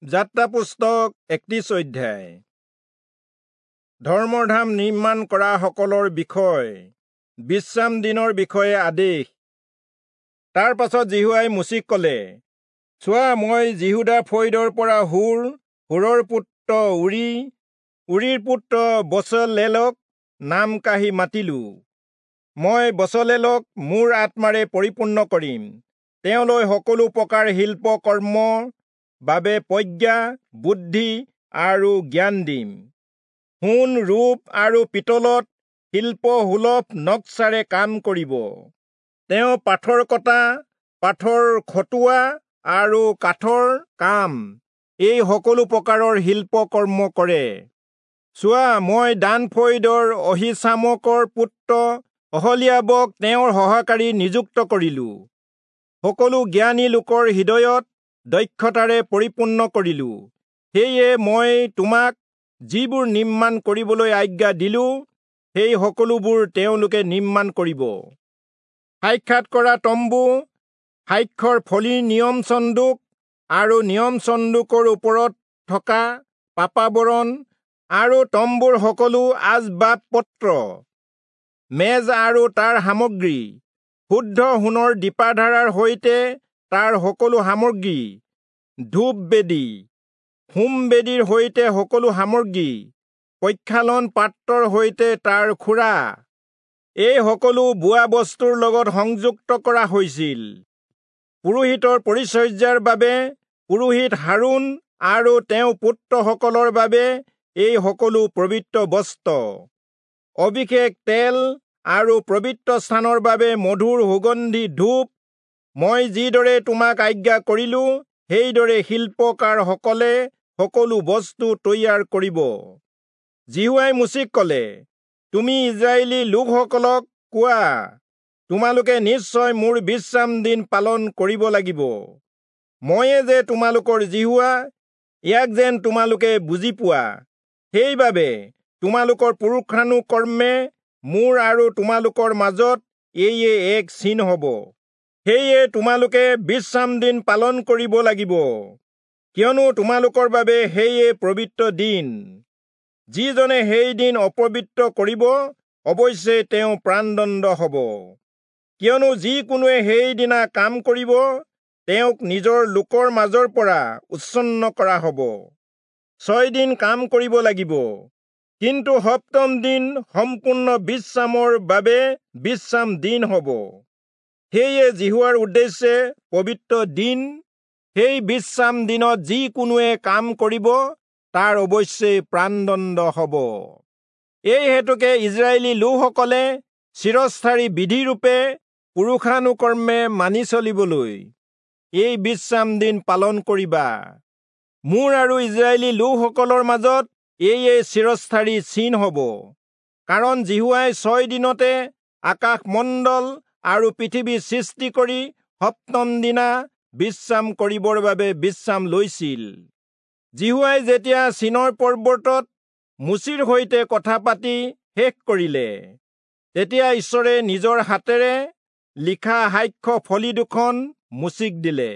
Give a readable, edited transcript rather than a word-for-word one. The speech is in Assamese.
যাত্ৰা পুস্তক 31 অধ্যায়। ধৰ্মধাম নিৰ্মাণ কৰা সকলৰ বিষয়, বিশ্ৰাম দিনৰ বিষয়ে আদেশ। তাৰ পাছত যিহোৱাই মোচিক কলে, চোৱা, মই যিহূদা ফৈদৰ পৰা হূৰ, হূৰৰ পুত্ৰ উৰি, উৰিৰ পুত্ৰ বচলেলক নাম কাঢ়ি মাতিলো। মই বচলেলক মোৰ আত্মাৰে পৰিপূৰ্ণ কৰিম, তেওঁলৈ সকলো প্ৰকাৰ শিল্প কৰ্মৰ বাবে প্ৰজ্ঞা, বুদ্ধি আৰু জ্ঞান দিম। সোণ, ৰূপ আৰু পিতলত শিল্পসুলভ নক্সাৰে কাম কৰিব। তেওঁ পাথৰ কটা, পাথৰ খটোৱা আৰু কাঠৰ কাম, এই সকলো প্ৰকাৰৰ শিল্পকৰ্ম কৰে। চোৱা, মই দান ফৈদৰ অহীচামকৰ পুত্ৰ অহলীয়াবক তেওঁৰ সহকাৰী নিযুক্ত কৰিলো। সকলো জ্ঞানী লোকৰ হৃদয়ত দক্ষতাৰে পৰিপূৰ্ণ কৰিলো। সেয়ে মই তোমাক যিবোৰ নিৰ্মাণ কৰিবলৈ আজ্ঞা দিলো, সেই সকলোবোৰ তেওঁলোকে নিৰ্মাণ কৰিব। সাক্ষাৎ কৰা তম্বু, সাক্ষ্যৰ ফলিৰ নিয়ম চন্দুক আৰু নিয়ম চন্দুকৰ ওপৰত থকা পাপাবৰণ আৰু তম্বুৰ সকলো আচবাব পত্ৰ, মেজ আৰু তাৰ সামগ্ৰী, শুদ্ধ সোণৰ দীপাধাৰাৰ সৈতে তাৰ সকলো সামগ্ৰী, ধূপ বেদী, হোম বেদীৰ সৈতে সকলো সামগ্ৰী, প্ৰক্ষালন পাত্ৰৰ সৈতে তাৰ খুৰা, এই সকলো বোৱা বস্তুৰ লগত সংযুক্ত কৰা হৈছিল। পুৰোহিতৰ পৰিচৰ্যাৰ বাবে পুৰোহিত হাৰোণ আৰু তেওঁৰ পুত্ৰসকলৰ বাবে এই সকলো পবিত্ৰ বস্ত্ৰ, অভিষেক তেল আৰু পবিত্ৰ স্থানৰ বাবে মধুৰ সুগন্ধি ধূপ, মই যিদৰে তোমাক আজ্ঞা কৰিলো, সেইদৰে শিল্পকাৰসকলে সকলো বস্তু তৈয়াৰ কৰিব। যিহোৱাই মোচিক কলে, তুমি ইস্ৰায়েলী লোকসকলক কোৱা, তোমালোকে নিশ্চয় মোৰ বিশ্ৰাম দিন পালন কৰিব লাগিব। ময়ে যে তোমালোকৰ যিহোৱা, ইয়াক যেন তোমালোকে বুজি পোৱা। সেইবাবে তোমালোকৰ পুৰুষানুক্ৰমে মোৰ আৰু তোমালোকৰ মাজত এয়ে এক চিন হব। সেয়ে তোমালোকে বিশ্ৰাম দিন পালন কৰিব লাগিব, কিয়নো তোমালোকৰ বাবে সেয়ে পবিত্ৰ দিন। যিজনে সেই দিন অপবিত্ৰ কৰিব, অৱশ্যে তেওঁ প্ৰাণদণ্ড হব। কিয়নো যিকোনোৱে সেইদিনা কাম কৰিব, তেওঁক নিজৰ লোকৰ মাজৰ পৰা উচ্ছন্ন কৰা হব। 6 দিন কাম কৰিব লাগিব, কিন্তু সপ্তম দিন সম্পূৰ্ণ বিশ্ৰামৰ বাবে বিশ্ৰাম দিন হব। সেয়ে যিহোৱাৰ উদ্দেশ্যে পবিত্ৰ দিন। সেই বিশ্ৰাম দিনত যিকোনোৱে কাম কৰিব, তাৰ অৱশ্যে প্ৰাণদণ্ড হব। এই হেতুকে ইস্ৰায়েলী লোকসকলে চিৰস্থায়ী বিধিৰূপে পুৰুষানুক্ৰমে মানি চলিবলৈ এই বিশ্ৰাম দিন পালন কৰিবা। মোৰ আৰু ইস্ৰায়েলী লোকসকলৰ মাজত এয়ে চিৰস্থায়ী চিন হব। কাৰণ যিহোৱাই 6 দিনতে আকাশমণ্ডল আৰু পৃথিৱী সৃষ্টি কৰি সপ্তম দিনা বিশ্ৰাম কৰিবৰ বাবে বিশ্ৰাম লৈছিল। যিহোৱাই যেতিয়া চীনৰ পৰ্বতত মোচিৰ সৈতে কথা পাতি শেষ কৰিলে, তেতিয়া ঈশ্বৰে নিজৰ হাতেৰে লিখা সাক্ষ্য ফলি দুখন মোচিক দিলে।